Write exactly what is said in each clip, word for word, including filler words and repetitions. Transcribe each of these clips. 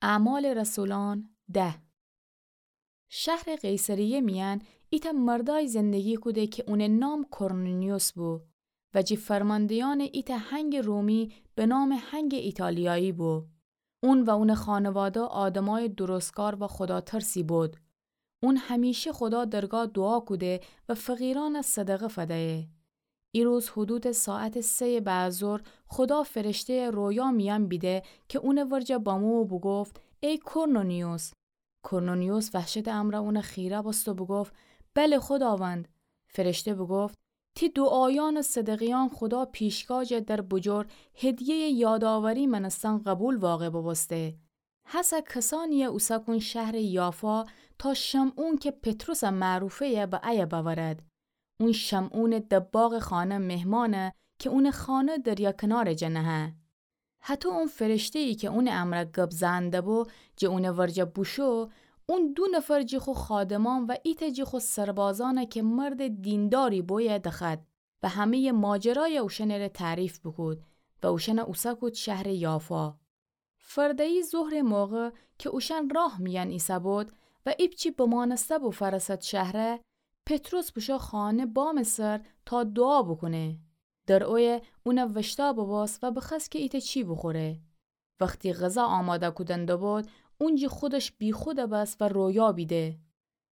اعمال رسولان ده. شهرٚ قیصریه میأن ایتأ مردای زندگی کوده کی اونٚ نام کرنلیوس بو و جی فرماندهیأنٚ ایتأ هنگٚ رومی به نامٚ هنگٚ ایتالیایی بو. اون و اونٚ خانواده آدمای درستکار و خوداترسی بود. اون همیشه خودا درگاه دوعا کوده و فقیرأن صدقه فدیه. ایروز حدودٚ ساعتٚ سه‌یٚ بعدظهر خودا فرشته‌یٚ رویا میأن بیده کی اونٚ ورجه بمو و بوگفت: ای کرنلیوس! کرنلیوس وحشتٚ امرأ اون خیره بوست و بوگفت: بله خوداوند. فرشته بوگفت: تی دوعایأن و صدقه‌یأن خودا پیشگاه جا در بوجور هدیه‌یٚ یادآوری مأنستن قبول واقع بوبوسته. هسه کسأنیی اوسه کون شهرٚ یافا تا شمعون کی پطرسٚ معروفه‌یه به ایه بأورد. اون شمعونٚ دباغٚ خانه مهمانه کی اونٚ خانه دریا کنارٚ جا نهه. هطو اون فرشته‌یی کی اونٚ امرأ گب زئن دبو جٚه اونٚ ورجه بوشو، اون دو نفر جٚه خو خادمأن و ایتأ جٚه خو سربازأنه کی مردٚ دینداری بویه دخوأد و همه‌یٚ ماجرایه اوشأنٚره تعریف بوکود و اوشأنه اوسه کود شهرٚ یافا. فرده‌یی ظهرٚ موقع کی اوشأن راه میأن ایسه‌بود و ایپچی بمانسته بو فرسد شهره، پطرس بوشو خانه بامٚ سر تا دوعا بوکونه. در اویه اونه وشتأ بوبوست و بخوأست کی ایتأ چی بوخوره. وختی غذا آماده کودن دبود، اون جٚه خودش بیخود بس و رویا بیده.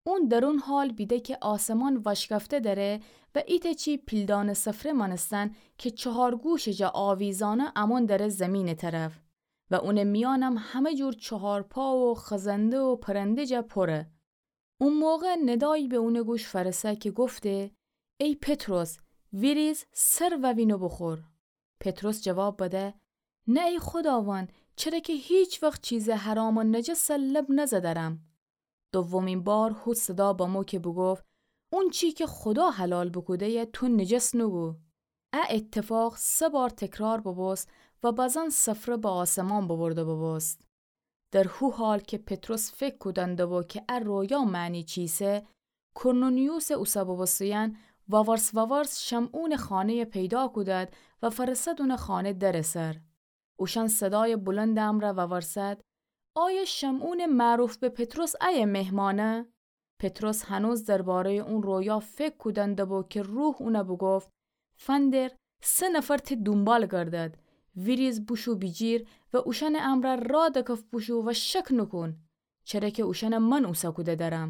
اون در اون حال بیده کی آسمان واشکفته دره و ایتأ چی پیلدانٚ سفره مأنستن کی چهار گوشٚ جا آویزأنه امون دره زیمینٚ طرف و اونٚ میأنم همه جور چهارپا و خزنده و پرنده جا پوره. او موقع ندایی به اونٚ گوش فأرسه کی گفته: ای پطرس، ویریز سر ووین و بوخور. پطرس جواب بده: نه ای خوداوند، چره کی هیچ وخت چیزٚ حرام و نجس لب نزدرم. دومین بار هو صدا بمو کی بوگفت: اونچی کی خودا حلال بوکوده‌یه تو نجس نوگو. ا ایتفاق سه بار تکرار بوبوست و بزن سفره به آسمان ببرده بوبوست. در هو حال کی پطرس فکر کودن دبو کی ا رویا معنی چیسه، کرنلیوسٚ اوسه بوبوسته‌یأن وورس وورس شمعونٚ خانه‌یه پیدا کودد و فأرسد اونٚ خانه درٚ سر. اوشأن صدایٚ بلندٚ امرأ وورسد: آیا شمعونٚ معروف به پطرس ایه مهمانه؟ پطرس هنوز درباره‌یٚ اون رویا فکر کودن دبو کی روح اونه بوگفت: فندر، سه نفر تی دونبال گردد، ویریز بوشو بیجیر و اوشأنٚ امرأ را دکف بوشو و شک نوکون، چره کی اوشأنه من اوسه کوده درم.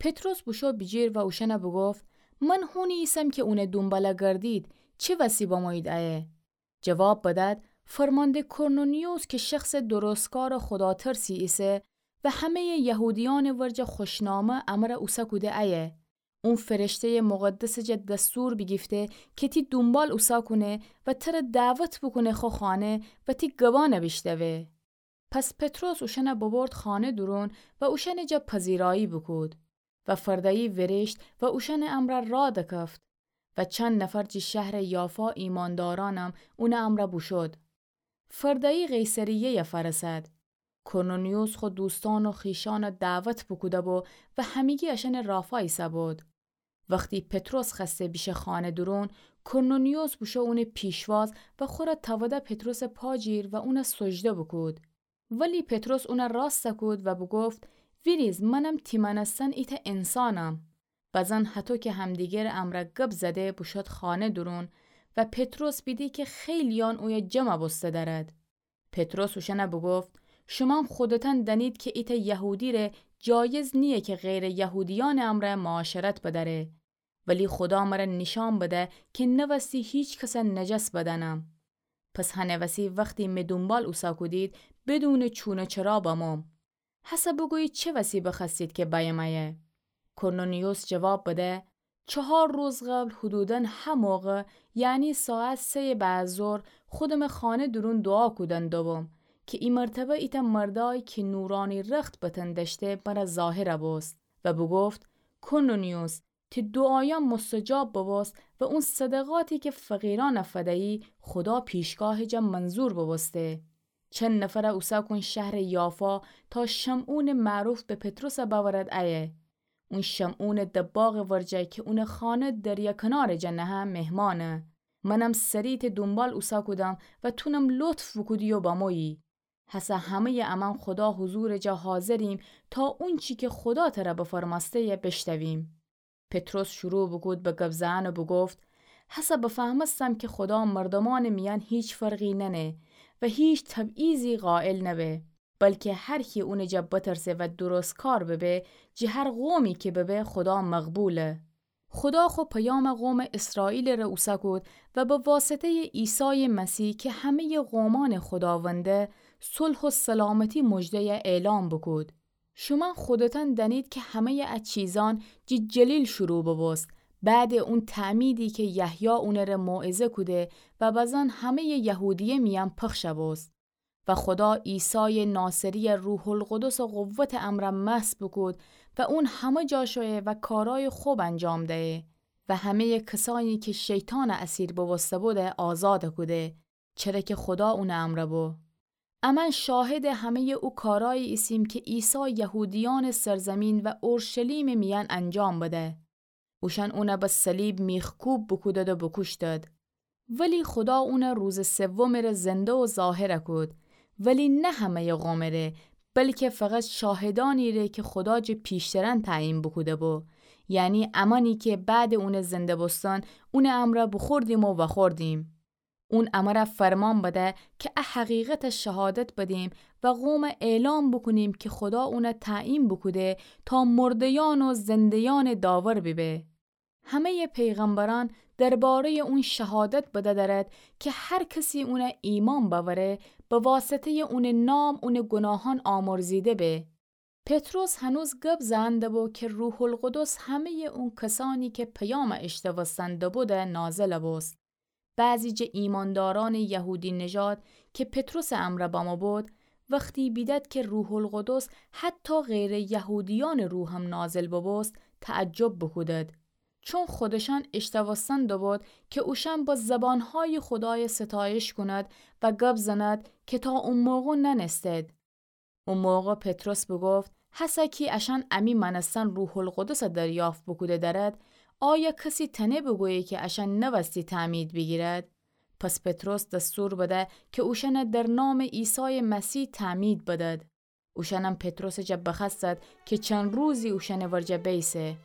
پطرس بوشو بیجیر و اوشأنه بوگفت: من هونی ایسم کی اونه دونباله گردید، چی وسی بمویید ایه؟ جواب بدد: فرمانده کرنلیوس کی شخصٚ درستکار و خوداترسی ایسه و همه‌یٚ یهودیأنٚ ورجه خوشنامه امره اوسه کوده ایه. اون فرشته‌یٚ مقدسٚ جا دستور بیگیفته کی تی دونبال اوسه کونه و تره دعوت بوکونه خو خانه و تی گبأنه بیشنوه. پس پطرس اوشأنه ببرد خانه دورون و اوشأنٚ جا پذیرایی بوکود. و فرده‌یی ویریشت و اوشأنٚ امرأ را دکفت. و چند نفر جٚه شهرٚ یافا ایماندارأنم اونٚ امرأ بوشود. فرده‌یی قیصریه‌یه فأرسد. کرنلیوس خو دوستأن و خویشأنه دعوت بوکوده بو و همگی اشأنٚ رافا ایسه‌بود. وختی پطرس خوأسته بیشه خانه دورون، کرنلیوس بوشو اونٚ پیشواز و خوره تأوده پطرسٚ پا جیر و اونه سجده بوکود. ولی پطرس اونه راست کود و بوگفت: ویریز، منم تی مأنستن ایتأ انسانم. بزن هطو کی همدیگرٚ امرأ گب زده بوشود خانه دورون و پطرس بیده کی خیلییأن اویه جمع بوسته دأرد. پطرس اوشأنه بوگفت: شومأن خودتأن دأنید کی ایتأ یهودی ره جایز نییه کی غیرٚ یهودیأنٚ امرأ معاشرت بدأره. ولی خودا مره نیشأن بده کی نوستی هیچ کسه نجس بدأنم. پس هنٚ وسی وختی می دونبال اوسه کودید، بدونٚ چون و چرا بموم. هسه بوگویید چه وسی بخوأستید کی بأیم ایه؟ کرنلیوس جواب بده: چهار روز قبل حدوداً ه موقع، یعنی ساعت سه‌یٚ بعدظهر، خودمٚ خانه دورون دوعا کودن دوبوم کی ای مرتبه ایتأ مردأی کی نورأنی رخت بتن دأشته مره ظاهر بوست و بوگفت: کرنلیوس، تی دوعایأن مستجاب ببوست و اون صدقاتی کی فقیرأنه فدیی خودا پیشگاهٚ جا منظور ببوسته. چند نفره اوسه کون شهرٚ یافا تا شمعونٚ معروف به پطرس بأورد ایه. اون شمعونٚ دباغٚ ورجه کی اونٚ خانه دریا کنارٚ جا نهه مهمانه. منم سری تی دونبال اوسه کودم و تونم لطف بوکودی و بمویی. هسه همه‌یٚ امأن خودا حضورٚ جا حاضریم تا اونچی که خودا تره بفرمأسته‌یه بشتویم. پطرس شروع بوکود به گب زئن و بوگفت: هسه بفهمستم که خودا مردومأنٚ میأن هیچ فرقی ننه و هیچ تبعیضی قائل نبه، بلکه هر کی اونٚ جا بترسه و درستکار ببه، جٚه هر قومی که ببه، خودا مقبوله. خودا خو پیام قومٚ اسرائیلٚ ره اوسه کود و به واسطه‌یٚ عیسایٚ مسیح که همه‌یٚ قومأنٚ خوداونده، صلح و سلامتی مژده‌یه اعلام بوکود. شومأن خودتأن دأنید که همه‌یٚ ا چیزأن جٚه جلیل شروع ببوست، بعدٚ اون تعمیدی که یحیی اونٚ ره موعظه کوده و بزأن همه‌یٚ یهودیه میأن پخش بوست. و خودا عیسایٚ ناصری‌یه روح‌القدس و قوتٚ امرأ مسح بوکود و اون همه جا شویه و کارأیٚ خب انجام دهه و همه‌یٚ کسأنی که شیطان اسیر بوبوسته بوده آزاد کوده، چره که خودا اونٚ امرأ بو. امأن شاهدٚ همه‌یٚ او کارأیی ایسیم که عیسی یهودیأنٚ سرزمین و اورشلیمٚ میأن انجام بده. اوشأن اونه به صلیب میخکوب بوکودد و بوکوشتد. ولی خودا اونه روزٚ سومٚ ره زنده و ظاهر کود، ولی نه همه‌یٚ قومٚ ره، بلکه فقط شاهدأنی ره که خودا جٚه پیشترأن تعیین بوکوده بو، یعنی امأنی که بعدٚ اونٚ زنده بوستن اونٚ امرأ بوخوردیم و وأخوردیم. اون امره فرمان بده که ا حقیقت شهادت بدیم و قوم اعلام بوکونیم که خودا اونه تعیین بوکوده تا مرده‌یأن و زنده‌یأنٚ داور بیبه. همه‌یٚ پیغمبرأن درباره‌یٚ اون شهادت بده درد که هر کسی اونه ایمأن بأوره، به واسطه‌یٚ اونٚ نام اونٚ گوناهأن آمرزیده به. پطرس هنوز گب زئن دبو که روح‌القدس همه‌یٚ اون کسأنی که پیام اشتوستن دبوده نازل بوست. بعضی جٚه ایمأندارأنٚ یهودی‌نژاد که پطرسٚ امرأ بمو بود، وختی بیدد که روح‌القدس حتی غیرٚ یهودیأنٚ رو هم نازل ببوست، تعجب بوکودد. چون خودشأن اشتوستن دبود که اوشأن به زبانهایی خودای ستایش کونید و گب زنید که تا او موقع نأنستید. او موقع پطرس بوگفت: هسه کی اشأن امی مأنستن روح‌القدس دریافت بوکوده درد، آیا کسی تأنه بوگویه که اشأن نوستی تعمید بیگیرد؟ پس پطرس دستور بده که اوشأن در نامٚ عیسایٚ مسیح تعمید بدد. اوشأنم پطرسٚ جا بخوأستد که چند روزی اوشأنٚ ورجه بیسه.